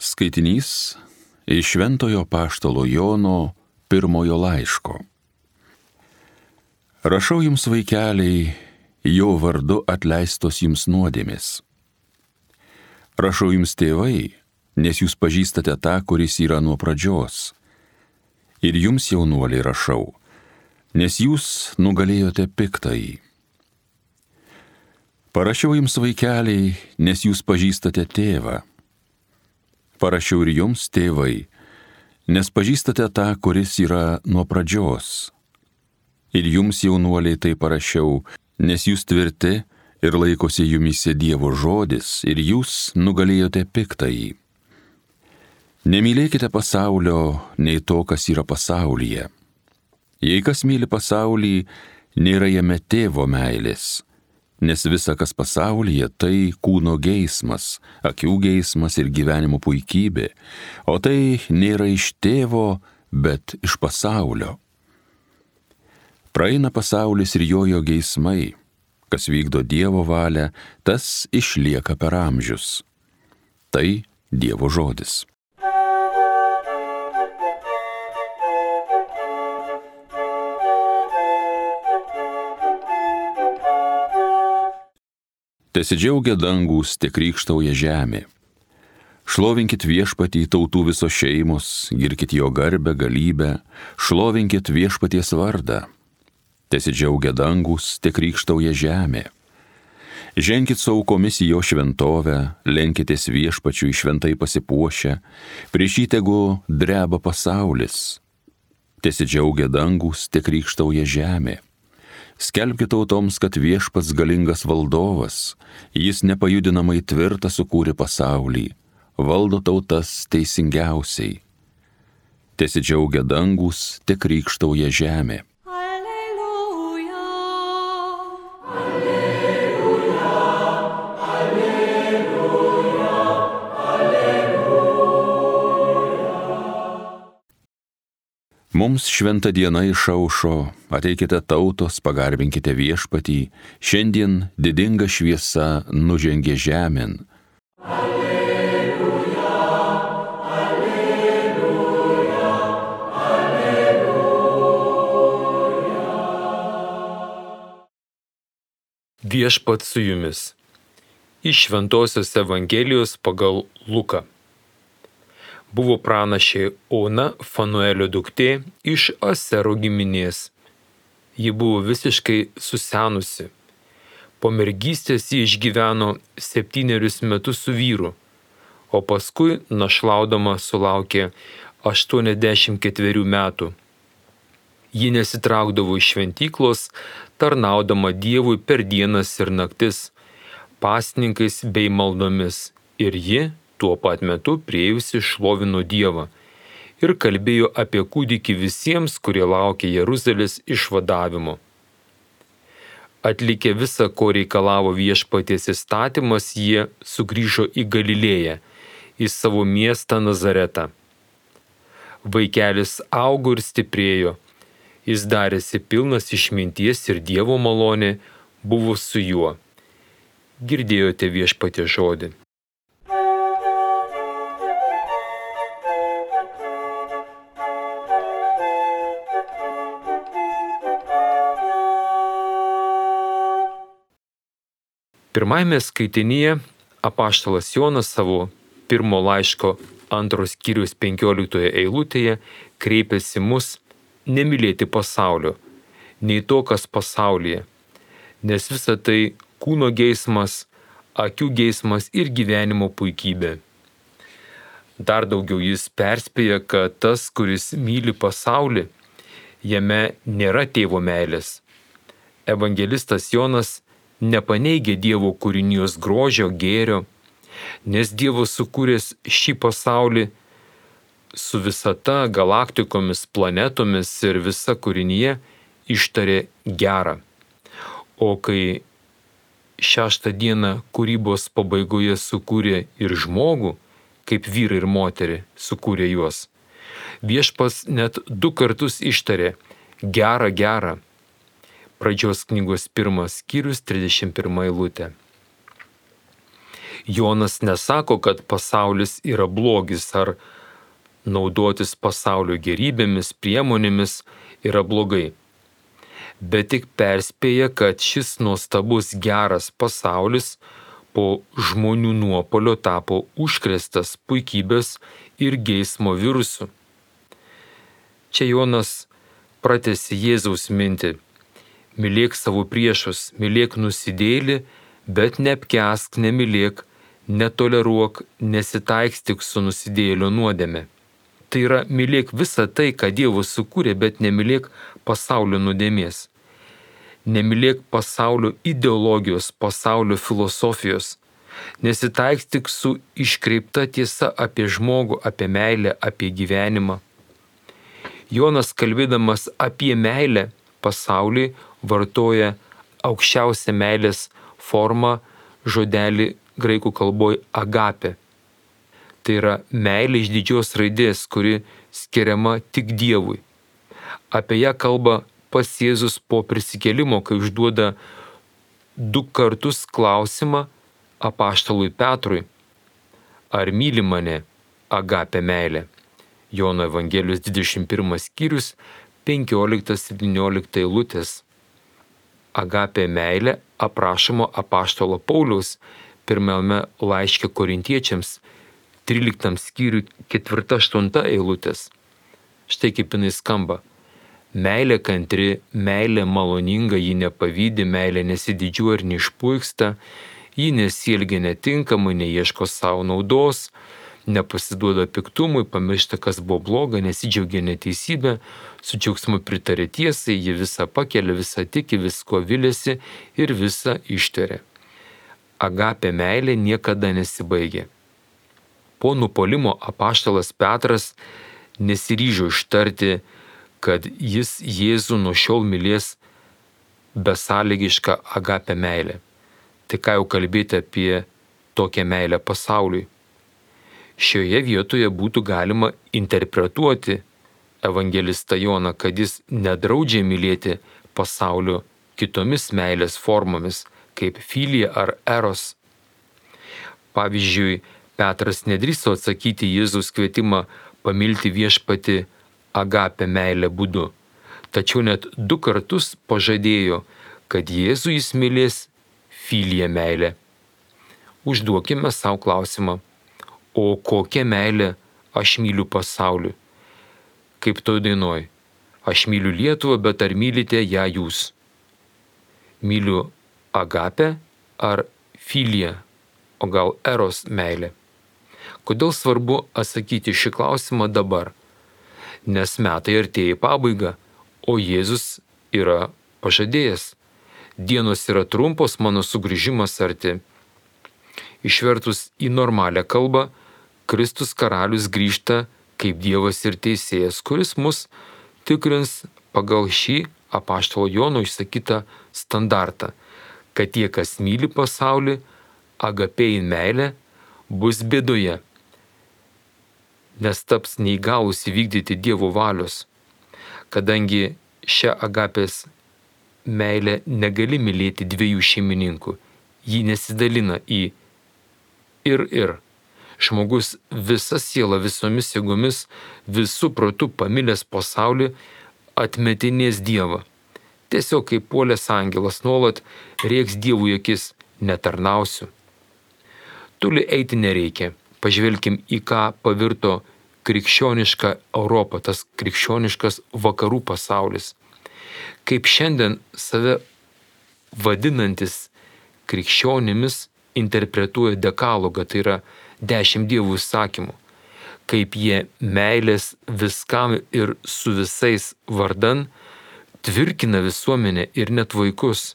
Skaitinys iš Šventojo apaštalo Jono pirmojo laiško. Rašau jums, vaikeliai, jo vardu atleistos jums nuodėmės. Rašau jums, tėvai, nes jūs pažįstate tą, kuris yra nuo pradžios. Ir jums, jaunuoliai, rašau, nes jūs nugalėjote piktąjį. Parašiau jums, vaikeliai, nes jūs pažįstate tėvą. Parašiau ir jums, tėvai, nes pažįstate tą, kuris yra nuo pradžios. Ir jums, jaunuoliai, tai parašiau, nes jūs tvirti ir laikosi jumyse Dievo žodis, ir jūs nugalėjote piktąjį. Nemylėkite pasaulio, nei to, kas yra pasaulyje. Jei kas myli pasaulį, nėra jame tėvo meilės, nes visa, kas pasaulyje, tai kūno geismas, akių geismas ir gyvenimo puikybė, o tai nėra iš tėvo, bet iš pasaulio. Praeina pasaulis ir jo geismai, kas vykdo Dievo valią, tas išlieka per amžius. Tai Dievo žodis. Tesidžiaugia dangūs, te krykštauja žemė. Šlovinkit viešpatį tautų visos šeimos, girkit jo garbę, galybę, šlovinkit viešpaties vardą. Tesidžiaugia dangūs, te krykštauja žemė. Ženkit su aukomis į jo šventovę, lenkitės viešpačiui šventai pasipuošę, prieš jį tegu dreba pasaulis. Tesidžiaugia dangūs, te krykštauja žemė. Skelbkite tautoms, kad viešpats galingas valdovas, jis nepajudinamai tvirtą sukūrė pasaulį, valdo tautas teisingiausiai. Tesidžiaugia dangūs, te krykštauja žemė. Alleluja, Alleluja, Alleluja, Alleluja. Mums šventa diena išaušo, ateikite tautos, pagarbinkite viešpatį, šiandien didinga šviesa nužengė žemėn. Alleluja, Alleluja, Alleluja. Viešpats su jumis. Iš Šventosios Evangelijos pagal Luką. Buvo pranašė Ona, Fanuelio duktė, iš Asero giminės. Ji buvo visiškai susenusi. Po mergystės ji išgyveno 7 metus su vyru, o paskui našlaudama sulaukė 84 metų. Ji nesitraukdavo iš šventyklos, tarnaudama Dievui per dienas ir naktis, pasninkais bei maldomis, ir ji tuo pat metu priėjusi šlovino Dievą ir kalbėjo apie kūdikį visiems, kurie laukė Jeruzalės išvadavimo. Atlikę visą, ko reikalavo viešpaties įstatymas, jie sugrįžo į Galilėją, į savo miestą Nazaretą. Vaikelis augo ir stiprėjo, jis darėsi pilnas išminties ir Dievo malonė buvo su juo. Girdėjote viešpaties žodį. Pirmajame skaitinyje apaštalas Jonas savo pirmo laiško 2 skyriaus 15 eilutėje kreipėsi mus nemylėti pasaulio, nei to, kas pasaulyje, nes visa tai kūno geismas, akių geismas ir gyvenimo puikybė. Dar daugiau jis perspėja, kad tas, kuris myli pasaulį, jame nėra tėvo meilės. Evangelistas Jonas nepaneigė Dievo kūrinijos grožio, gėrio, nes Dievas sukūręs šį pasaulį su visata, galaktikomis, planetomis ir visa kūrinyje ištarė gerą. O kai 6 dieną kūrybos pabaigoje sukūrė ir žmogų, kaip vyrą ir moterį sukūrė juos, viešpats net 2 kartus ištarė gerą, gerą. Pradžios knygos 1 skyrius 31 eilutė. Jonas nesako, kad pasaulis yra blogis ar naudotis pasaulio gerybėmis, priemonėmis yra blogai, bet tik perspėja, kad šis nuostabus geras pasaulis po žmonių nuopolio tapo užkrėstas puikybės ir geismo virusu. Čia Jonas pratęsė Jėzaus mintį: mylėk savo priešus, mylėk nusidėjėlį, bet neapkęsk, nemylėk, netoleruok, nesitaikstyk su nusidėjėlio nuodėme. Tai yra, mylėk visą tai, ką Dievas sukūrė, bet nemylėk pasaulio nuodėmės. Nemylėk pasaulio ideologijos, pasaulio filosofijos. Nesitaikstyk su iškreipta tiesa apie žmogų, apie meilę, apie gyvenimą. Jonas, kalbėdamas apie meilę pasaulį, vartoja aukščiausią meilės formą, žodelį graikų kalboje agape. Tai yra meilė iš didžios raidės, kuri skiriama tik Dievui. Apie ją kalba pats Jėzus po prisikėlimo, kai užduoda 2 kartus klausimą apaštalui Petrui: ar myli mane agape meilė? Jono Evangelijos 21 skyrius 15-17 eilutės. Agape meilė aprašoma apaštalo Pauliaus pirmame laiške Korintiečiams 13 skyriui 4-8 eilutės. Štai kaip jinai skamba: meilė kantri, meilė maloninga, ji nepavydi, meilė nesididžiuoja ir neišpuiksta, ji nesielgia netinkamai, neieško savo naudos, nepasiduoda piktumui, pamiršta, kas buvo bloga, nesidžiaugia neteisybė, su džiaugsmu pritarė tiesai, ji visą pakelia, visą tiki, visko viliasi ir visą ištveria. Agape meilė niekada nesibaigia. Po nupuolimo apaštalas Petras nesiryžo ištarti, kad jis Jėzų nuo šiol mylės besąlygišką agape meilę. Tai ką jau kalbėti apie tokią meilę pasauliui. Šioje vietoje būtų galima interpretuoti evangelistą Joną, kad jis nedraudžia mylėti pasaulio kitomis meilės formomis, kaip filija ar eros. Pavyzdžiui, Petras nedrįso atsakyti Jėzaus kvietimą pamilti viešpatį agape meilę būdu, tačiau net 2 kartus pažadėjo, kad Jėzų jis mylės filija meilė. Užduokime savo klausimą: o kokią meilę aš myliu pasauliu? Kaip toj dainoj: aš myliu Lietuvą, bet ar mylite ją jūs? Myliu agape ar filiją, o gal eros meilę? Kodėl svarbu atsakyti šį klausimą dabar? Nes metai artėja į pabaigą, o Jėzus yra pažadėjęs. Dienos yra trumpos, mano sugrįžimas arti. Išvertus į normalią kalbą, Kristus karalius grįžta kaip Dievas ir teisėjas, kuris mus tikrins pagal šį apaštalo Jono išsakytą standartą, kad tie, kas myli pasaulį, agapein meilę, bus bėdoje, nes taps neįgalus įvykdyti Dievo valios. Kadangi šią agapės meilę negali mylėti 2 šeimininkų, ji nesidalina į ir. Žmogus visa siela, visomis jėgomis, visų protų pamilęs pasaulį atmetinės Dievą. Tiesiog kaip puolęs angelas nuolat rėks Dievui akis: netarnausiu. Toli eiti nereikia. Pažvelkim, į ką pavirto krikščioniška Europa, tas krikščioniškas vakarų pasaulis. Kaip šiandien save vadinantis krikščionimis interpretuoja dekalogą, tai yra 10 Dievų įsakymų. Kaip jie meilės viskam ir su visais vardan tvirkina visuomenę ir net vaikus.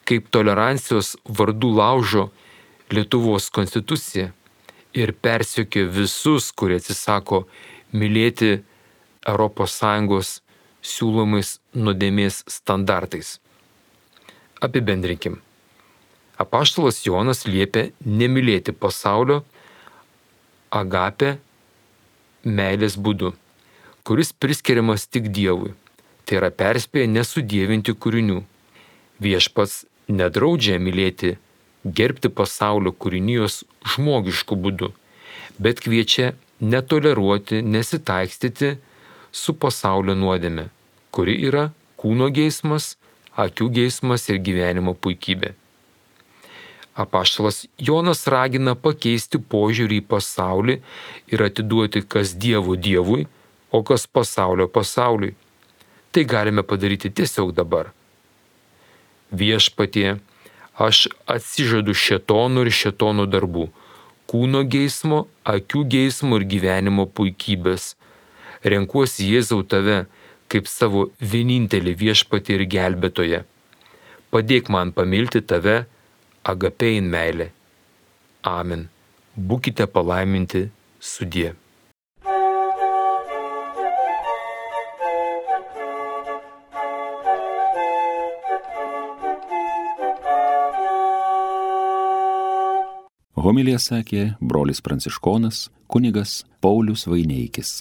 Kaip tolerancijos vardų laužo Lietuvos konstituciją ir persekioja visus, kurie atsisako mylėti ES siūlomais nuodėmės standartais. Apibendrinkim. Apaštalas Jonas liepia nemylėti pasaulio agape meilės būdu, kuris priskiriamas tik Dievui. Tai yra perspėja nesudievinti kūrinių. Viešpats nedraudžia mylėti gerbti pasaulio kūrinijos žmogišku būdu, bet kviečia netoleruoti, nesitaikstyti su pasaulio nuodėme, kuri yra kūno geismas, akių geismas ir gyvenimo puikybė. Apaštalas Jonas ragina pakeisti požiūrį į pasaulį ir atiduoti kas Dievo Dievui, o kas pasaulio pasauliui. Tai galime padaryti tiesiog dabar. Viešpatie, aš atsižadu šėtono ir šėtono darbų, kūno geismo, akių geismo ir gyvenimo puikybės. Renkuosi Jėzau tave kaip savo vienintelį viešpatį ir gelbėtoją. Padėk man pamilti tave agapein meilė. Amen. Būkite palaiminti sudie. Homiliją sakė brolis pranciškonas kunigas Paulius Vaineikis.